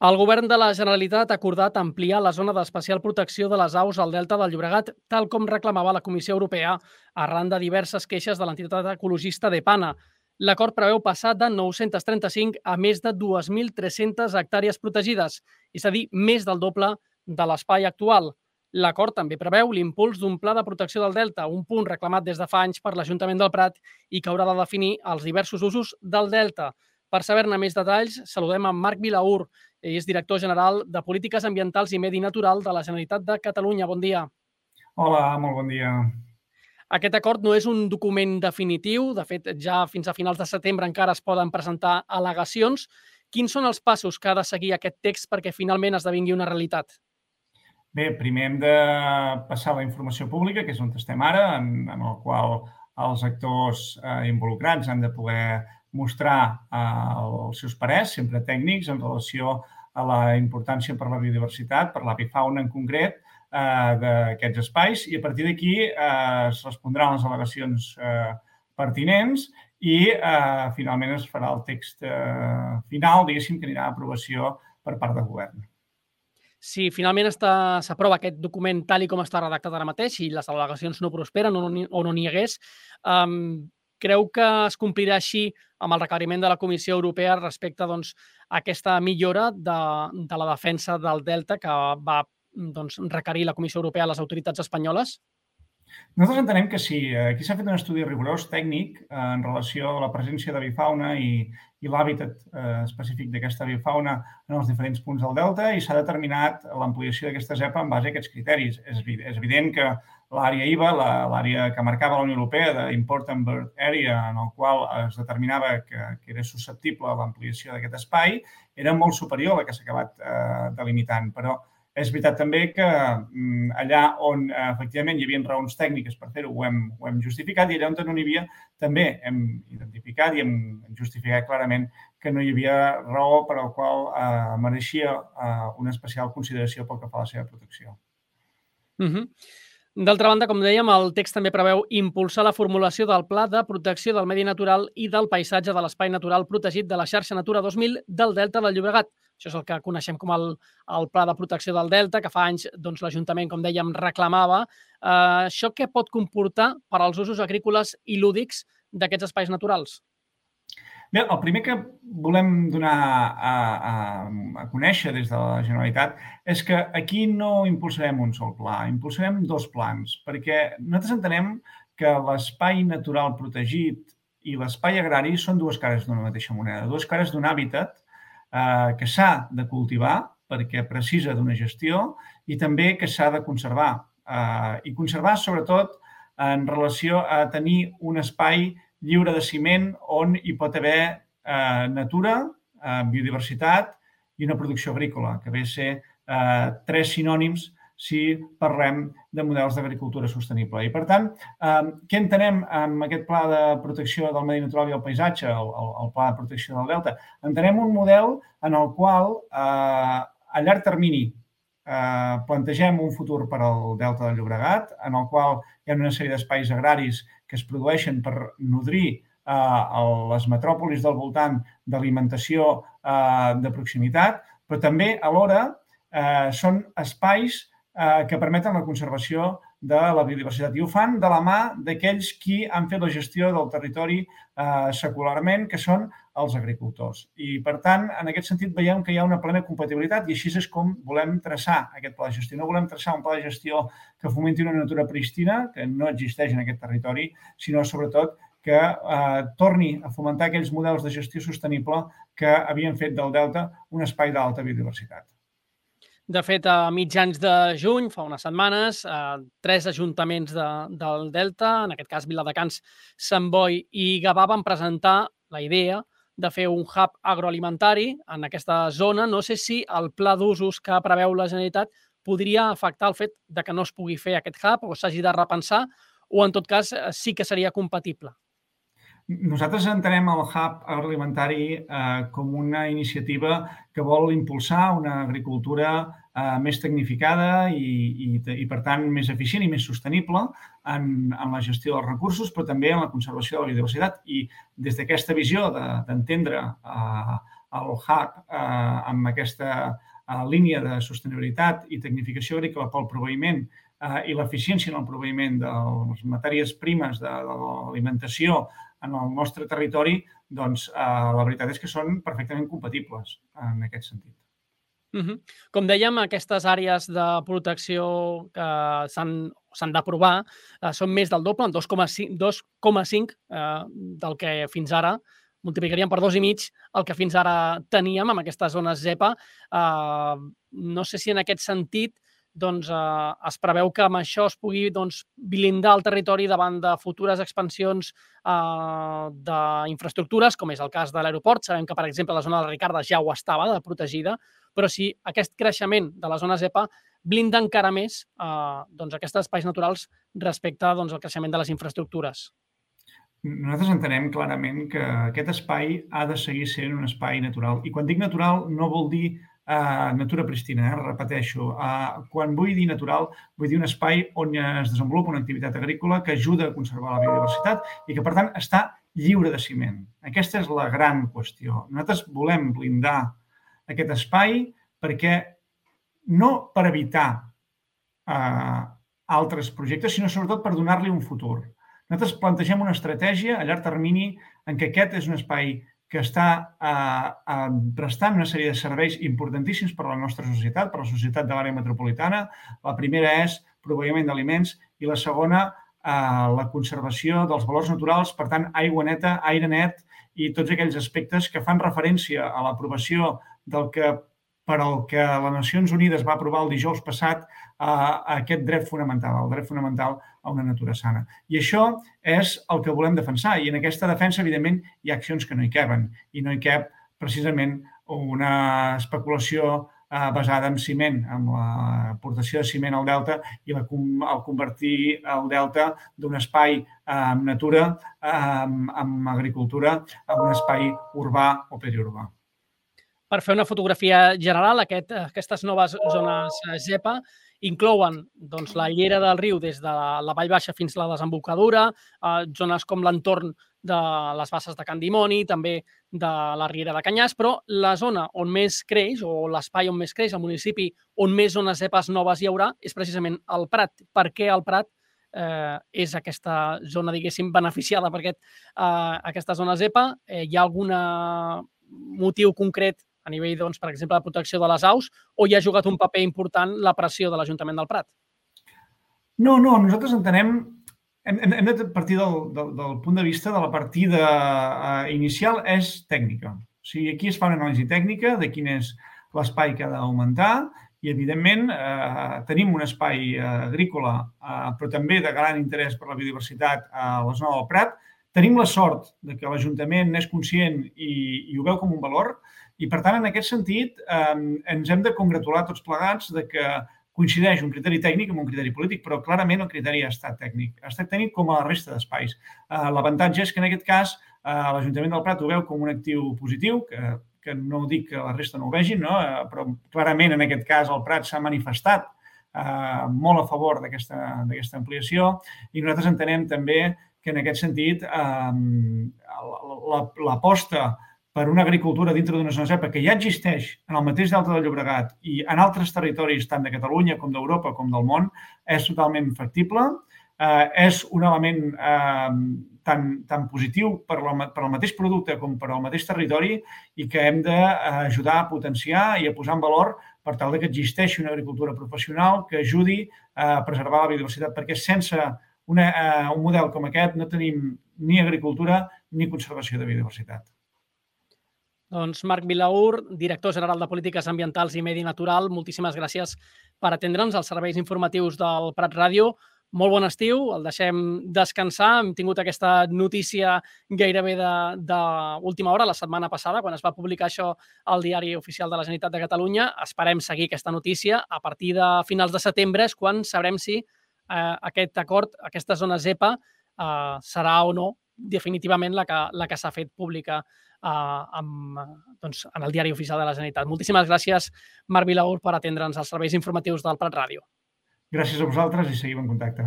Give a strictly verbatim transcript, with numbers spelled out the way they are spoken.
El Govern de la Generalitat ha acordat ampliar la zona d'especial protecció de les aus al Delta del Llobregat, tal com reclamava la Comissió Europea, arran de diverses queixes de l'entitat ecologista DEPANA. L'acord preveu passar de nou-cents trenta-cinc a més de dues mil tres-centes hectàrees protegides, és a dir, més del doble de l'espai actual. L'acord també preveu l'impuls d'un pla de protecció del Delta, un punt reclamat des de fa anys per l'Ajuntament del Prat i que haurà de definir els diversos usos del Delta. Per saber-ne més detalls, saludem a Marc Vilaur. Ell és director general de Polítiques Ambientals i Medi Natural de la Generalitat de Catalunya. Bon dia. Hola, molt bon dia. Aquest acord no és un document definitiu. De fet, ja fins a finals de setembre encara es poden presentar al·legacions. Quins són els passos que ha de seguir aquest text perquè finalment esdevingui una realitat? Bé, primer hem de passar la informació pública, que és on estem ara, en, en el qual els actors eh, involucrats han de poder mostrar eh, els seus parers, sempre tècnics, en relació a la importància per la biodiversitat, per l'avifauna en concret, eh, d'aquests espais, i a partir d'aquí eh, es respondran les al·legacions eh, pertinents i eh, finalment es farà el text eh, final, diguéssim, que anirà a aprovació per part del govern. Si finalment s'aprova aquest document tal i com està redactat ara mateix i les al·legacions no prosperen o no, o no n'hi hagués, um, creu que es complirà així amb el requeriment de la Comissió Europea respecte doncs, a aquesta millora de, de la defensa del Delta que va doncs, requerir la Comissió Europea a les autoritats espanyoles? Nosaltres entenem que sí. Aquí s'ha fet un estudi rigorós tècnic en relació a la presència d'avifauna i, i l'hàbitat eh, específic d'aquesta avifauna en els diferents punts del delta i s'ha determinat l'ampliació d'aquesta zepa en base a aquests criteris. És, és evident que l'àrea I V A, l'àrea que marcava la Unió Europea d'Important Bird Area, en el qual es determinava que, que era susceptible a l'ampliació d'aquest espai, era molt superior a la que s'ha acabat eh, delimitant, però és veritat també que allà on efectivament hi havia raons tècniques per fer-ho ho, hem, ho hem justificat i allà on no n'hi havia també hem identificat i hem justificat clarament que no hi havia raó per al qual eh, mereixia eh, una especial consideració pel que fa a la seva protecció. Uh-huh. D'altra banda, com dèiem, el text també preveu impulsar la formulació del Pla de Protecció del Medi Natural i del Paisatge de l'Espai Natural Protegit de la Xarxa Natura dos mil del Delta del Llobregat. Això és el que coneixem com el, el Pla de Protecció del Delta, que fa anys doncs, l'Ajuntament, com dèiem, reclamava. Eh, això què pot comportar per als usos agrícoles i lúdics d'aquests espais naturals? Bé, el primer que volem donar a, a, a conèixer des de la Generalitat és que aquí no impulsarem un sol pla, impulsarem dos plans, perquè nosaltres entenem que l'espai natural protegit i l'espai agrari són dues cares d'una mateixa moneda, dues cares d'un hàbitat eh, que s'ha de cultivar perquè precisa d'una gestió i també que s'ha de conservar. Eh, I conservar, sobretot, en relació a tenir un espai lliure de ciment on hi pot haver eh, natura, eh, biodiversitat i una producció agrícola, que ve a ser eh, tres sinònims si parlem de models d'agricultura sostenible. I, per tant, eh, què entenem amb aquest pla de protecció del medi natural i el paisatge, el, el, el pla de protecció del delta? Entenem un model en el qual, eh, a llarg termini, eh, plantegem un futur per al delta del Llobregat, en el qual hi ha una sèrie d'espais agraris que es produeixen per nodrir eh, les metròpolis del voltant d'alimentació eh, de proximitat, però també alhora eh, són espais eh, que permeten la conservació de la biodiversitat i ho fan de la mà d'aquells qui han fet la gestió del territori eh, secularment, que són els agricultors. I, per tant, en aquest sentit veiem que hi ha una plena compatibilitat i així és com volem traçar aquest pla de gestió. No volem traçar un pla de gestió que fomenti una natura prístina, que no existeix en aquest territori, sinó, sobretot, que eh, torni a fomentar aquells models de gestió sostenible que havien fet del delta un espai d'alta biodiversitat. De fet, a mitjans de juny, fa unes setmanes, eh, tres ajuntaments de, del Delta, en aquest cas Viladecans, Sant Boi i Gavà, van presentar la idea de fer un hub agroalimentari en aquesta zona. No sé si el pla d'usos que preveu la Generalitat podria afectar el fet de que no es pugui fer aquest hub o s'hagi de repensar, o en tot cas sí que seria compatible. Nosaltres entenem el hub agroalimentari eh, com una iniciativa que vol impulsar una agricultura eh, més tecnificada i, i, i, per tant, més eficient i més sostenible en, en la gestió dels recursos, però també en la conservació de la biodiversitat. I des d'aquesta visió d'entendre de, eh, el hub eh, amb aquesta eh, línia de sostenibilitat i tecnificació agrícola pel proveïment eh, i l'eficiència en el proveïment de les matèries primes de, de l'alimentació en el nostre territori, doncs eh, la veritat és que són perfectament compatibles en aquest sentit. Uh -huh. Com dèiem, aquestes àrees de protecció que s'han d'aprovar eh, són més del doble, en dos coma cinc eh, del que fins ara multiplicaríem per dos i mig el que fins ara teníem amb aquestes zones ZEPA. Eh, no sé si en aquest sentit doncs, eh, es preveu que amb això es pugui doncs, blindar el territori davant de futures expansions eh, d'infraestructures, com és el cas de l'aeroport. Sabem que, per exemple, la zona de Ricarda ja ho estava, de protegida, però si aquest creixement de la zona ZEPA blinda encara més eh, doncs, aquests espais naturals respecte doncs, al creixement de les infraestructures. Nosaltres entenem clarament que aquest espai ha de seguir sent un espai natural. I quan dic natural no vol dir Uh, natura pristina, eh? Repeteixo. Uh, quan vull dir natural, vull dir un espai on es desenvolupa una activitat agrícola que ajuda a conservar la biodiversitat i que, per tant, està lliure de ciment. Aquesta és la gran qüestió. Nosaltres volem blindar aquest espai perquè no per evitar uh, altres projectes, sinó sobretot per donar-li un futur. Nosaltres plantegem una estratègia a llarg termini en què aquest és un espai que està eh, eh, prestant una sèrie de serveis importantíssims per a la nostra societat, per a la societat de l'àrea metropolitana. La primera és proveïment d'aliments i la segona eh, la conservació dels valors naturals, per tant, aigua neta, aire net i tots aquells aspectes que fan referència a l'aprovació del que per al que les Nacions Unides va aprovar el dijous passat eh, aquest dret fonamental, el dret fonamental a una natura sana. I això és el que volem defensar. I en aquesta defensa, evidentment, hi ha accions que no hi caben. I no hi cap, precisament, una especulació eh, basada en ciment, amb l'aportació de ciment al delta i la, el convertir el delta d'un espai amb eh, natura, eh, amb, amb agricultura, a un espai urbà o periurbà. Per fer una fotografia general, aquest, aquestes noves zones ZEPA inclouen doncs, la llera del riu des de la vall baixa fins a la desembocadura, eh, zones com l'entorn de les basses de Can Dimoni, també de la Riera de Canyars, però la zona on més creix, o l'espai on més creix, el municipi on més zones ZEPAs noves hi haurà, és precisament el Prat. Per què el Prat eh, és aquesta zona, diguéssim, beneficiada per aquest, eh, aquesta zona ZEPA? Eh, hi ha algun motiu concret a nivell, doncs, per exemple, de protecció de les aus, o hi ha jugat un paper important la pressió de l'Ajuntament del Prat? No, no, nosaltres entenem, hem, hem de partir del, del, del punt de vista de la partida eh, inicial és tècnica. O sigui, aquí es fa una anàlisi tècnica de quin és l'espai que ha d'augmentar i, evidentment, eh, tenim un espai eh, agrícola, eh, però també de gran interès per la biodiversitat a la zona del Prat. Tenim la sort de que l'Ajuntament n'és conscient i, i ho veu com un valor. I, per tant, en aquest sentit, eh, ens hem de congratular tots plegats de que coincideix un criteri tècnic amb un criteri polític, però clarament el criteri ha estat tècnic. Ha estat tècnic com a la resta d'espais. Eh, L'avantatge és que, en aquest cas, eh, l'Ajuntament del Prat ho veu com un actiu positiu, que, que no dic que la resta no ho vegin, no? Eh, però clarament, en aquest cas, el Prat s'ha manifestat eh, molt a favor d'aquesta d'aquesta ampliació i nosaltres entenem també que, en aquest sentit, eh, l'aposta per una agricultura dintre d'una zona ZEPA que ja existeix en el mateix delta del Llobregat i en altres territoris, tant de Catalunya com d'Europa com del món, és totalment factible. Eh, és un element eh, tan, tan positiu per, la, per al mateix producte com per al mateix territori i que hem d'ajudar a potenciar i a posar en valor per tal que existeixi una agricultura professional que ajudi a preservar la biodiversitat, perquè sense una, eh, un model com aquest no tenim ni agricultura ni conservació de biodiversitat. Doncs Marc Vilaür, director general de Polítiques Ambientals i Medi Natural, moltíssimes gràcies per atendre'ns als serveis informatius del Prat Ràdio. Molt bon estiu, el deixem descansar. Hem tingut aquesta notícia gairebé d'última hora, la setmana passada, quan es va publicar això al Diari Oficial de la Generalitat de Catalunya. Esperem seguir aquesta notícia. A partir de finals de setembre és quan sabrem si eh, aquest acord, aquesta zona ZEPA, eh, serà o no definitivament la que, la que s'ha fet pública eh, amb, doncs, en el Diari Oficial de la Generalitat. Moltíssimes gràcies, Marc Vilaür, per atendre'ns als serveis informatius del Prat Ràdio. Gràcies a vosaltres i seguim en contacte.